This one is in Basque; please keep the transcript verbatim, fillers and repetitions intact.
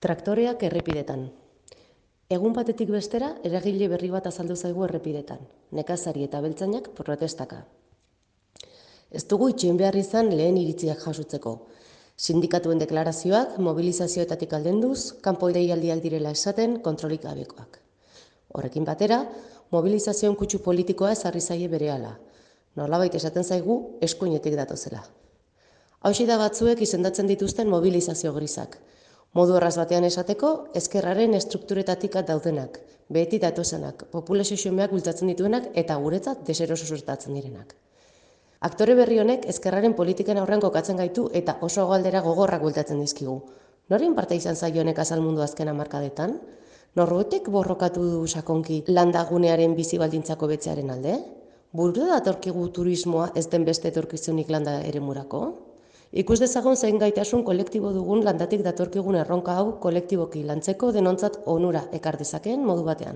Traktoreak errepidetan. Egun batetik bestera, eragile berri bat azaldu zaigu errepidetan. Nekazari eta beltzainak protestaka. Ez dugu itxoin behar izan lehen iritziak jasotzeko. Sindikatuen deklarazioak, mobilizazioetatik aldenduz, kanpo deialdiak direla esaten, kontrolik gabekoak. Horrekin batera, mobilizazioen kutsu politikoa ezarri zaie berehala. Nolabait esaten zaigu, eskuinetik datozela. Hauxe da batzuek izendatzen dituzten mobilizazio grisak. Modu erraz batean esateko, ezkerraren estrukturetatik daudenak, beti datozenak, populazio xumeak bultzatzen dituenak eta guretzat deseroso suertatzen direnak. Aktore berri honek ezkerraren politiken aurrean kokatzen gaitu eta oso galdera gogorrak bultatzen dizkigu. Noren parte izan zaio honek azal mundu azken hamarkadetan? Norbaitek borrokatu du sakonki landagunearen bizi baldintzako betzearen alde? Burura datorkigu turismoa ez den beste etorkizunik landa eremurako? Ikus dezagun zein gaitasun kolektibo dugun landatik datorkigun erronka hau kolektiboki lantzeko denontzat onura ekar dezakeen modu batean.